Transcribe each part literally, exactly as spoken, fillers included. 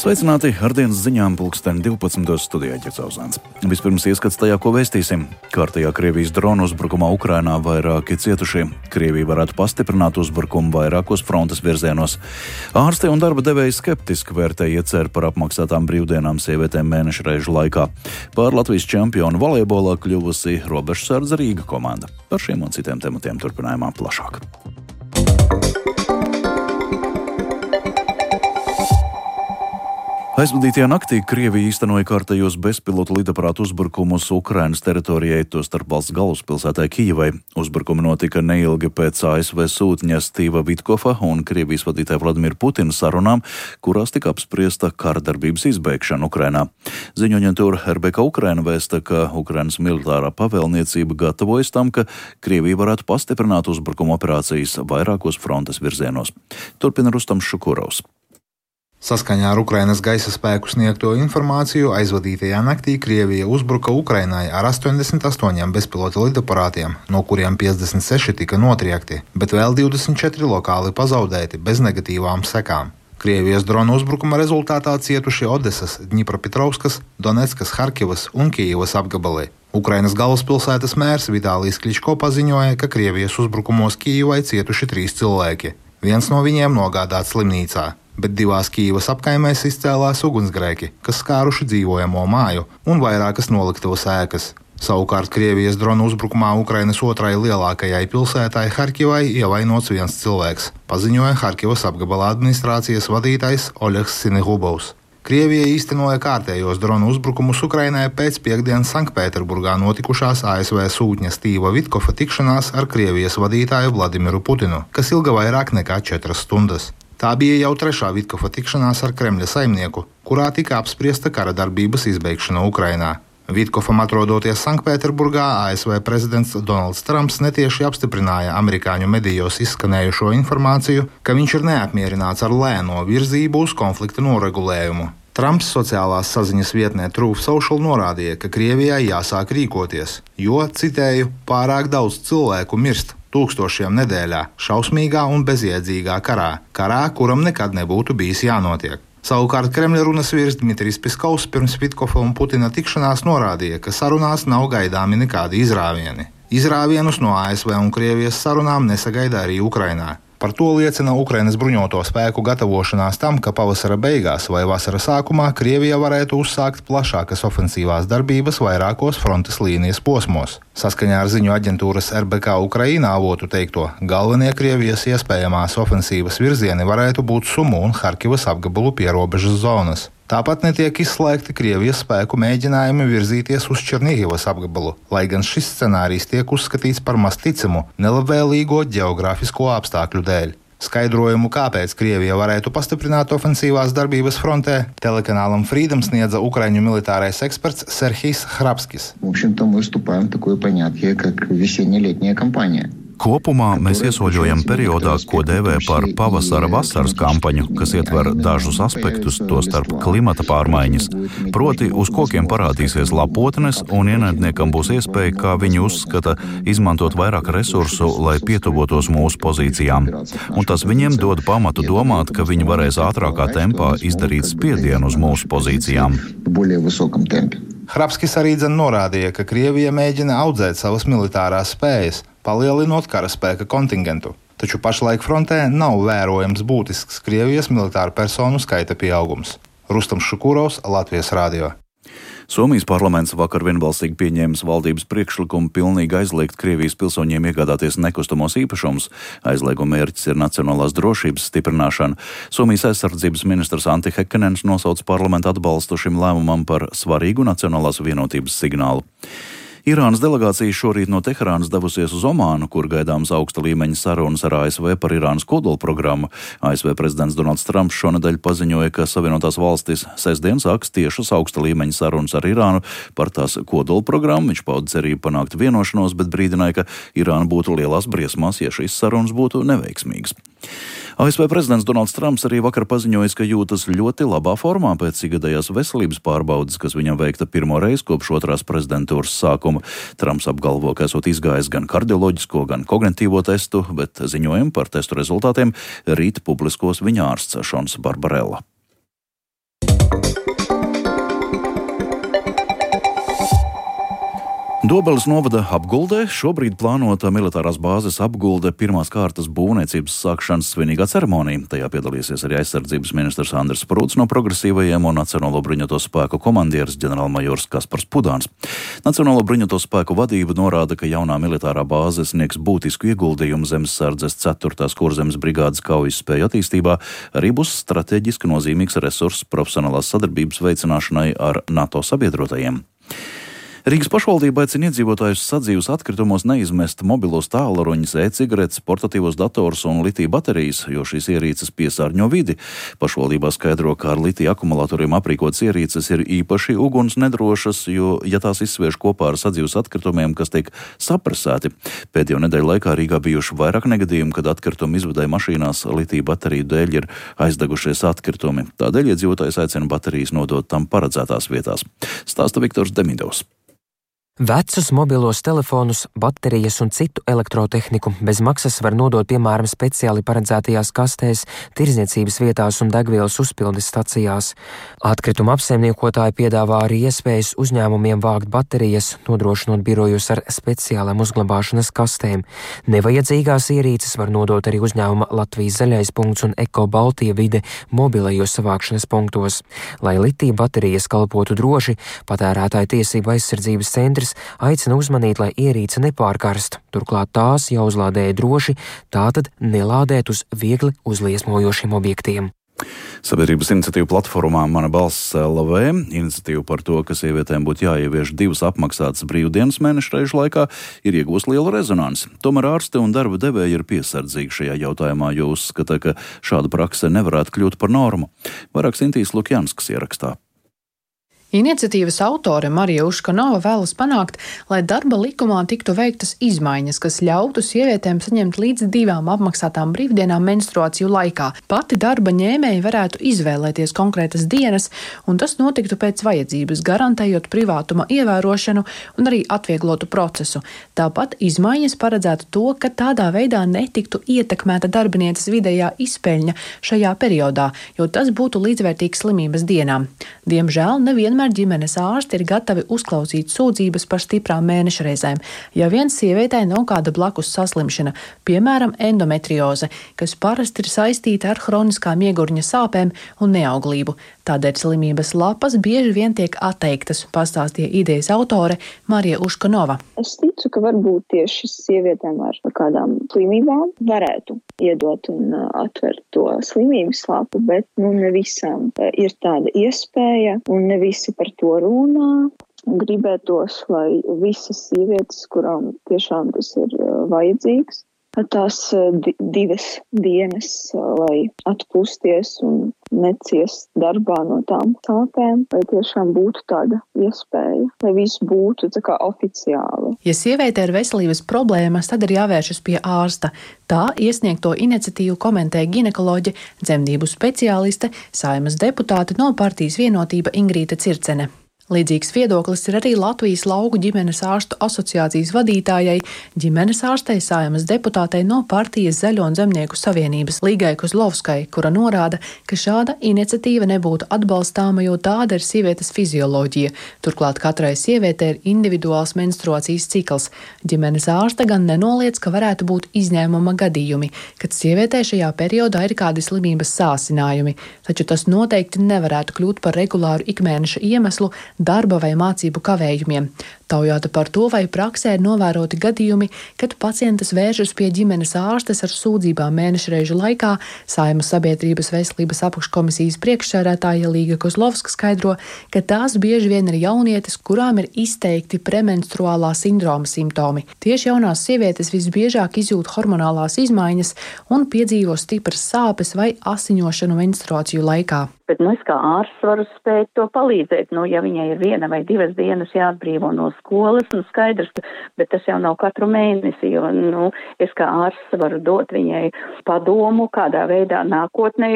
Sveicināti ar dienas ziņām pulksteni divpadsmitos studijā Ģercauzāns. Vispirms ieskats tajā, ko vēstīsim. Kārtējā Krievijas dronu uzbrukumā Ukrainā vairāki cietušie. Krievija varētu pastiprināt uzbrukumu vairākos frontes virzienos. Ārsti un darba devēji skeptiski vērtē ieceru par apmaksātām brīvdienām sievietēm mēneša reižu laikā. Pār Latvijas čempionu volejbolā kļuvusi robežsardze Rīga komanda. Par šiem un citiem tematiem turpinājumā plašāk. Aizvadītajā naktī Krievija īstenoja kārtējos bezpilotu lidaparātu uzbrukumus Ukrainas teritorijai, tostarp valsts galvaspilsētai Kijevai. Uzbrukumi notika neilgi pēc A S V sūtņa Stīva Vitkova un Krievijas vadītāja Vladimira Putina sarunām, kurās tika apspriesta kara darbības izbeigšana Ukrainā. Ziņoaģentūra R B K Ukraina vēsta, ka Ukrainas militārā pavēlniecība gatavojas tam, ka Krievija varētu pastiprināt uzbrukuma operācijas vairākos frontes virzienos. Turpina Rustams Šukurovs. Saskaņā ar Ukrainas gaisa spēku sniegto informāciju aizvadītajā naktī Krievija uzbruka Ukrainai ar astoņdesmit astoņiem bezpilota lidaparātiem, no kuriem piecdesmit seši tika notriekti, bet vēl divdesmit četri lokāli pazaudēti bez negatīvām sekām. Krievijas dronu uzbrukuma rezultātā cietuši Odesas, Dņipropetrovskas, Doneckas, Harkivas un Kijevas apgabali. Ukrainas galvaspilsētas mērs Vitālijs Kličko paziņoja, ka Krievijas uzbrukumos Kijevai cietuši trīs cilvēki. Viens no viņiem nogādāts slimnīcā, bet divās Kijevas apkaimēs izcēlās ugunsgrēki, kas skāruši dzīvojamo māju un vairākas noliktavas ēkas. Savukārt Krievijas dronu uzbrukumā Ukrainas otrai lielākajai pilsētai Harkivai ievainots viens cilvēks, paziņoja Harkivas apgabala administrācijas vadītājs Oļegs Sinegubovs. Krievija īstenoja kārtējos dronu uzbrukumus Ukrainai pēc piekdienas Sanktpēterburgā notikušās A S V sūtņa Stīva Vitkova tikšanās ar Krievijas vadītāju Vladimiru Putinu, kas ilga vairāk nekā četras stundas. Tā bija jau trešā Vitkova tikšanās ar Kremļa saimnieku, kurā tika apspriesta kara darbības izbeigšana Ukrainā. Vitkovam atrodoties Sanktpēterburgā, A S V prezidents Donalds Trumps netieši apstiprināja amerikāņu medijos izskanējušo informāciju, ka viņš ir neapmierināts ar lēno virzību uz konflikta noregulējumu. Trumps sociālās saziņas vietnē Truth Social norādīja, ka Krievijai jāsāk rīkoties, jo, citēju, pārāk daudz cilvēku mirst tūkstošiem nedēļā, šausmīgā un bezjēdzīgā karā, karā, kuram nekad nebūtu bijis jānotiek. Savukārt Kremļa runas vīrs Dmitrijs Piskovs pirms Vitkova un Putina tikšanās norādīja, ka sarunās nav gaidāmi nekādi izrāvieni. Izrāvienus no A S V un Krievijas sarunām nesagaida arī Ukrainā. Par to liecina Ukrainas bruņoto spēku gatavošanās tam, ka pavasara beigās vai vasara sākumā Krievija varētu uzsākt plašākas ofensīvās darbības vairākos frontes līnijas posmos. Saskaņā ar ziņu aģentūras R B K Ukraina avotu teikto, galvenie Krievijas iespējamās ofensīvas virzieni varētu būt Sumu un Harkivas apgabalu pierobežas zonas. Tāpat netiek izslēgti Krievijas spēku mēģinājumi virzīties uz Černihivas apgabalu, lai gan šis scenārijs tiek uzskatīts par maz ticamu nelabvēlīgo ģeogrāfisko apstākļu dēļ. Skaidrojumu, kāpēc Krievija varētu pastiprināt ofensīvās darbības frontē, telekanālam Freedom sniedza ukraiņu militārais eksperts Serhijs Hrabskis. Kopumā mēs iesoļojam periodā, ko dēvē par pavasara-vasaras kampaņu, kas ietver dažus aspektus, tostarp klimata pārmaiņas. Proti, uz kokiem parādīsies lapotnes, un ienaidniekam būs iespēja, kā viņi uzskata, izmantot vairāk resursu, lai pietuvotos mūsu pozīcijām. Un tas viņiem dod pamatu domāt, ka viņi varēs ātrākā tempā izdarīt spiedienu uz mūsu pozīcijām. Hrabskis arī dzen norādīja, ka Krievija mēģina audzēt savas militārās spējas, palielinot karaspēka kontingentu. Taču pašlaik frontē nav vērojams būtisks Krievijas militāru personu skaita pieaugums. Rustams Šukurovs, Latvijas radio. Somijas parlaments vakar vienbalsīgi pieņēmis valdības priekšlikumu pilnīgi aizliegt Krievijas pilsoņiem iegādāties nekustamos īpašumus. Aizlieguma mērķis ir nacionālās drošības stiprināšana. Somijas aizsardzības ministrs Antti Häkkinens nosauc parlamentu atbalstu šim lēmumam par svarīgu nacionālās vienotības signālu. Irānas delegācija šorīt no Teherānas devusies uz Omānu, kur gaidāms augsta līmeņa sarunas ar A S V par Irānas kodolprogrammu. A S V prezidents Donalds Trumps šonedēļ paziņoja, ka Savienotās valstis sestdien sāks tiešas augsta līmeņa sarunas ar Irānu par tās kodolprogrammu. Viņš pauda cerību panākt vienošanos, bet brīdināja, ka Irāna būtu lielās briesmās, ja šīs sarunas būtu neveiksmīgas. A S V prezidents Donalds Trumps arī vakar paziņojis, ka jūtas ļoti labā formā pēc ikgadējās veselības pārbaudes, kas viņam veikta pirmo reizi kopš otrās prezidentūras sākuma. Trumps apgalvo, ka esot izgājis gan kardioloģisko, gan kognitīvo testu, bet ziņojumu par testu rezultātiem rīt publiskos viņa ārsts Šons Barbarella. Dobeles novada apguldē šobrīd plānota militārās bāzes apgulde pirmās kārtas būvniecības sākšanas svinīgā ceremonija. Tajā piedalīsies arī aizsardzības ministrs Andris Sprūts no Progresīvajiem un Nacionālo bruņoto spēku komandieris ģenerālmajors Kaspars Pudāns. Nacionālo bruņoto spēku vadība norāda, ka jaunā militārā bāze sniegs būtisku ieguldījumu zemesardzes ceturtās kurzemes brigādes kaujas spēju attīstībā, arī būs strateģiski nozīmīgs resurss profesionālās sadarbības veicināšanai ar NATO sabiedrotajiem. Rīgas pašvaldība aicina iedzīvotājus sadzīves atkritumos neizmest mobilos tālruņus, e-cigaretes, portatīvos dators un litija baterijas, jo šīs ierīces piesārņo vidi. Pašvaldībā skaidro, ka ar litija akumulatoriem aprīkotas ierīces ir īpaši uguns nedrošas, jo, ja tās izsviež kopā ar sadzīves atkritumiem, kas tiek sapresēti. Pēdējo nedēļu laikā Rīgā bijuši vairāk negadījumu, kad atkritumu izvedēja mašīnās litija bateriju dēļ ir aizdegušies atkritumi. Tādēļ iedzīvotājs aicina baterijas nodot tam paredzētās vietās. Stāsta Viktors Demidovs. Vecus mobilos telefonus, baterijas un citu elektrotehniku bez maksas var nodot, piemēram, speciāli paredzētajās kastēs, tirdzniecības vietās un degvielas uzpildes stacijās. Atkrituma apsaimniekotāji piedāvā arī iespējas uzņēmumiem vākt baterijas, nodrošinot birojus ar speciālām uzglabāšanas kastēm. Nevajadzīgās ierīces var nodot arī uzņēmuma Latvijas zaļais punkts un Eko Baltija vide mobilajos savākšanas punktos. Lai litija baterijas kalpotu droši, Patērētāju tiesību aizsardzības centrs aicina uzmanīt, lai ierīce nepārkarst. Turklāt tās jāuzlādē droši, tātad nelādēt uz viegli uzliesmojošiem objektiem. Sabiedrības iniciatīva platformā Mana balss L V iniciatīva par to, ka sievietēm būtu jāievieš divas apmaksātas brīvdienas mēneša reižu laikā, ir iegūst lielu rezonanci. Tomēr ārsti un darba devēji ir piesardzīgi šajā jautājumā, jo uzskata, ka šāda prakse nevarētu kļūt par normu. Vairāk Sintīs Lukjanskas ierakstā. Iniciatīvas autore Marija Uškanova vēlas panākt, lai darba likumā tiktu veiktas izmaiņas, kas ļautu sievietēm saņemt līdz divām apmaksātām brīvdienām menstruāciju laikā. Pati darba ņēmēji varētu izvēlēties konkrētas dienas, un tas notiktu pēc vajadzības, garantējot privātuma ievērošanu un arī atvieglotu procesu. Tāpat izmaiņas paredzētu to, ka tādā veidā netiktu ietekmēta darbinieces vidējā izpeļņa šajā periodā, jo tas būtu līdzvērtīgs slimības dienām. Diemžēl nevienmēr ģimenes ārsti ir gatavi uzklausīt sūdzības par stiprām mēneša reizēm, ja vien sievietei nav kāda blakus saslimšana, piemēram, endometrioze, kas parasti ir saistīta ar hroniskām iegurņa sāpēm un neauglību. Tādēļ slimības lapas bieži vien tiek atteiktas, pastāstīja idejas autore Marija Uškanova. Es ticu, ka varbūt tieši sievietēm ar kādām slimībām varētu iedot un atvert to slimības lapu, bet nu ne visām ir tāda iespēja un ne visi par to runā. Gribētos, lai visas sievietes, kurām tiešām tas ir vajadzīgs, tās divas dienas, lai atpūsties un neciest darbā no tām sāpēm, lai tiešām būtu tāda iespēja, lai viss būtu tā kā oficiāli. Ja sieviete ir veselības problēmas, tad ir jāvēršas pie ārsta. Tā iesniegto iniciatīvu komentē ginekoloģe, dzemdību speciāliste, Saeimas deputāte no partijas Vienotība Ingrīta Circene. Līdzīgs viedoklis ir arī Latvijas lauku ģimenes ārstu asociācijas vadītājai, ģimenes ārstei Saeimas deputātei no partijas Zaļo un zemnieku savienības Līgai Kozlovskai, kura norāda, ka šāda iniciatīva nebūtu atbalstāma, jo tāda ir sievietes fizioloģija. Turklāt katrai sievietei ir individuāls menstruācijas cikls. Ģimenes ārste gan nenoliedz, ka varētu būt izņēmuma gadījumi, kad sievietē šajā periodā ir kādi slimības sāsinājumi, taču tas noteikti nevarētu kļūt par regulāru ikmēneša iemeslu darba vai mācību kavējumiem. Taujāta par to, vai praksē ir novēroti gadījumi, kad pacientes vēršas pie ģimenes ārstes ar sūdzībām mēneša reižu laikā, Saeimas sabiedrības veselības apakškomisijas priekšsēdētāja Līga Kozlovska skaidro, ka tās bieži vien ir jaunietes, kurām ir izteikti premenstruālā sindroma simptomi. Tieši jaunās sievietes visbiežāk izjūt hormonālās izmaiņas un piedzīvo stipras sāpes vai asiņošanu menstruāciju laikā. Bet nu, es kā ārsts varu spēt to palīdzēt. Nu, ja viņai ir viena vai divas dienas jāatbrīvo no skolas, nu skaidrs, bet tas jau nav katru mēnesi, jo nu, es kā ārsts varu dot viņai padomu, kādā veidā nākotnē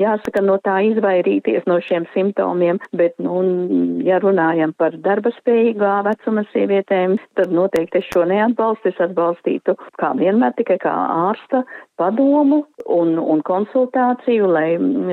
jāsaka no tā izvairīties no šiem simptomiem. Bet, nu, ja runājam par darba spējīgā vecuma sievietēm, tad noteikti es šo neatbalstu. Es atbalstītu kā vienmēr tikai kā ārsta padomu un, un konsultāciju, lai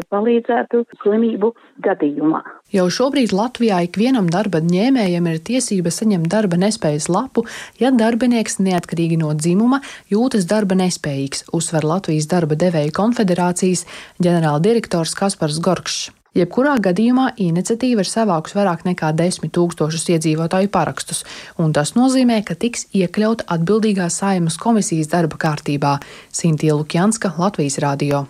palīdzētu slimību gadījumā. Jau šobrīd Latvijā ikvienam darba ņēmējam ir tiesība saņemt darba nespējas lapu, ja darbinieks neatkarīgi no dzimuma jūtas darba nespējīgs, uzsver Latvijas darba devēju konfederācijas ģenerāldirektors Kaspars Gorkšs. Jebkurā gadījumā iniciatīva ir savākus vairāk nekā desmit tūkstošus iedzīvotāju parakstus, un tas nozīmē, ka tiks iekļaut atbildīgā Saeimas komisijas darba kārtībā. Sintīja Lukjanska, Latvijas radio.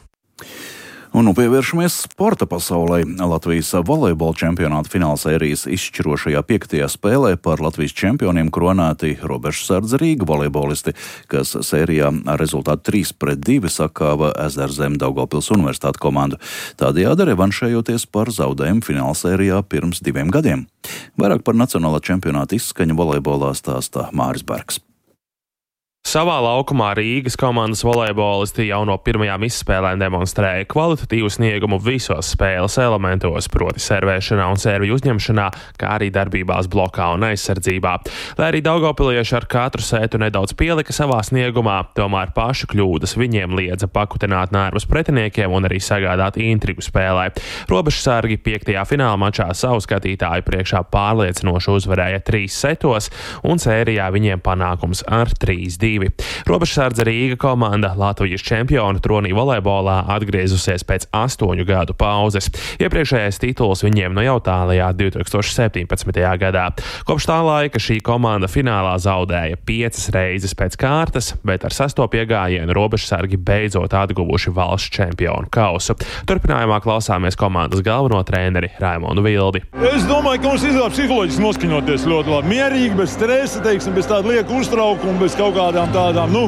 Un nu pievēršamies sporta pasaulē. Latvijas volejbola čempionāta finālsērijas izšķirošajā piektajā spēlē par Latvijas čempioniem kronēti Robežsardze Rīga volejbolisti, kas sērijā ar rezultātu trīs pret divi sakāva Ezerzem Daugavpils Universitātes komandu, tādējādi revanšējoties par zaudējumu finālsērijā pirms diviem gadiem. Vairāk par nacionālā čempionāta izskaņu volejbolā stāsta Māris Bergs. Savā laukumā Rīgas komandas volejbolisti jau no pirmajām izspēlēm demonstrēja kvalitatīvu sniegumu visos spēles elementos, proti servēšanā un sērviju uzņemšanā, kā arī darbībās blokā un aizsardzībā. Lai arī daugavpilieši ar katru sētu nedaudz pielika savā sniegumā, tomēr pašu kļūdas viņiem liedza pakutināt nervus pretiniekiem un arī sagādāt intrigu spēlē. Robežsargi piektajā fināla mačā savu skatītāju priekšā pārliecinoši uzvarēja trīs setos, un sērijā viņiem panākums ar trīs divi. Robežsardze Rīga komanda Latvijas čempionu tronī volejbolā atgriezusies pēc astoņu gadu pauzes. Iepriekšējais tituls viņiem no jau tālajā divi tūkstoši septiņpadsmitajā gadā. Kopš tā laika šī komanda finālā zaudēja piecas reizes pēc kārtas, bet ar sesto piegājienu robežsargi beidzot atguvuši valsts čempionu kausu. Turpinājumā klausāmies komandas galveno treneri Raimondu Vildi. Es domāju, ka mums izdevās psiholoģiski noskaņoties ļoti labi. Mierīgi, bez stresa, teiksim, bez tāda lieka uztraukuma, bez kaut kādām tādām, nu,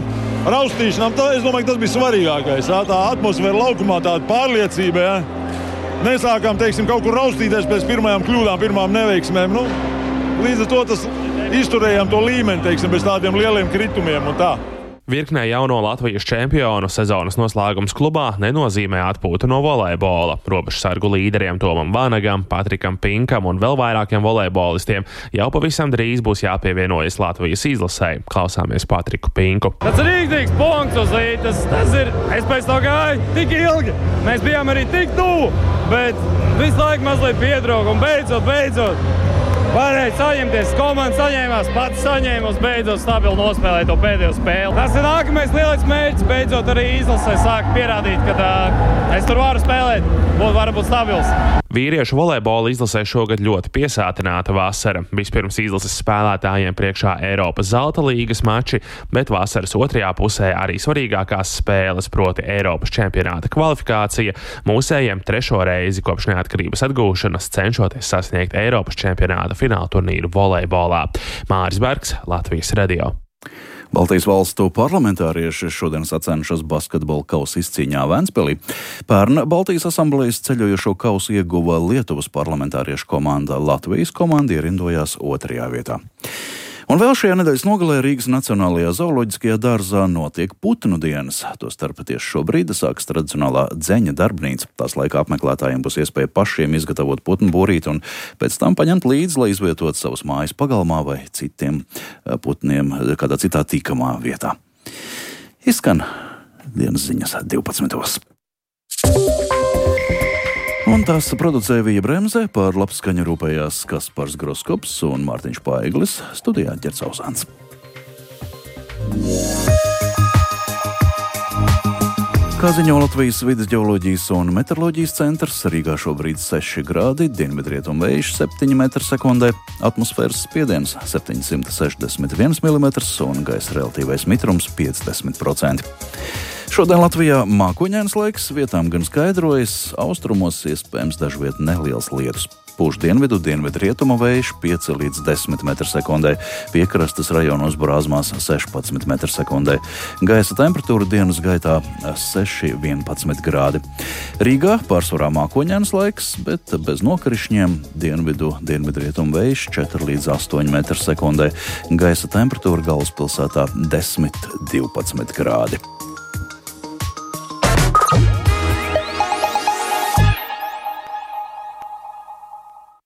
raustīšanām. Tā, es domāju, ka tas bija svarīgākais. Jā, tā atmosfēra laukumā, tāda pārliecība. Jā. Nesākām, teiksim, kaut kur raustīties pēc pirmajām kļūdām, pirmām neveiksmēm. Nu, līdz ar to tas izturējām to līmeni, teiksim, bez tādiem lieliem kritumiem un tā. Virknē jauno Latvijas čempionu sezonas noslēgums klubā nenozīmē atpūtu no volejbola. Robežsargu līderiem Tomam Vanagam, Patrikam Pinkam un vēl vairākiem volejbolistiem jau pavisam drīz būs jāpievienojas Latvijas izlasei. Klausāmies Patriku Pinku. Tas ir rīktīgs punkts uz līdzi. Tas, tas ir, es pēc to gāju tik ilgi. Mēs bijām arī tik tuvu, bet visu laiku mazliet pietrūka un beidzot, beidzot. Varēja saņemties, komanda saņēmās, pats saņēmās, beidzot stabili nospēlēt to pēdējo spēli. Tas ir nākamais lielais mērķis, beidzot arī izlasē sāk pierādīt, ka uh, es tur varu spēlēt, būt, varu būt stabils. Vīriešu volejbola izlasē šogad ļoti piesātināta vasara. Vispirms izlases spēlētājiem priekšā Eiropas zelta līgas mači, bet vasaras otrajā pusē arī svarīgākās spēles, proti Eiropas čempionāta kvalifikācija, mūsējiem trešo reizi kopš neatkarības atgūšanas cenšoties sasniegt Eiropas čempionāta fināla turnīru volejbolā. Māris Bergs, Latvijas radio. Baltijas valstu parlamentārieši šodien sacenšas basketbola kausa izcīņā Ventspilī. Pērn Baltijas asamblejas ceļojošo kausu ieguva Lietuvas parlamentāriešu komanda. Latvijas komanda ierindojās otrajā vietā. Un vēl šajā nedēļas nogalē Rīgas Nacionālajā zooloģiskajā dārzā notiek putnu dienas. Tostarp tieši šobrīd sākas tradicionālā dzeņa darbnīca. Tās laikā apmeklētājiem būs iespēja pašiem izgatavot putnu būrīti un pēc tam paņemt līdzi, lai izvietotu savus mājas pagalmā vai citiem putniem kādā citā tīkamā vietā. Izskan dienas ziņas divpadsmitos. Un tās producēja Vija Bremze, par labskaņu rūpējās Kaspars Groskops un Mārtiņš Paiglis, studijā Ģerts Ausāns. Kā ziņo Latvijas vides ģeoloģijas un meteoroloģijas centrs, Rīgā šobrīd seši grādi, dienvidrietumu vējš septiņi metri sekundē, atmosfēras spiediens septiņsimt sešdesmit viens milimetrs un gaisa relatīvais mitrums piecdesmit procenti. Šodien Latvijā mākoņains laiks, vietām gan skaidrojas, austrumos iespējams dažviet neliels lietus. Pūš dienvidu, dienvidu rietumu vējš pieci līdz desmit metri sekundē, piekrastes rajonos Brāzmās sešpadsmit metri sekundē. Gaisa temperatūra dienas gaitā seši līdz vienpadsmit grādi. Rīgā pārsvarā mākoņains laiks, bet bez nokrišņiem, dienvidu, dienvidu rietumu vējš četri līdz astoņi metri sekundē. Gaisa temperatūra galvaspilsētā desmit līdz divpadsmit grādi.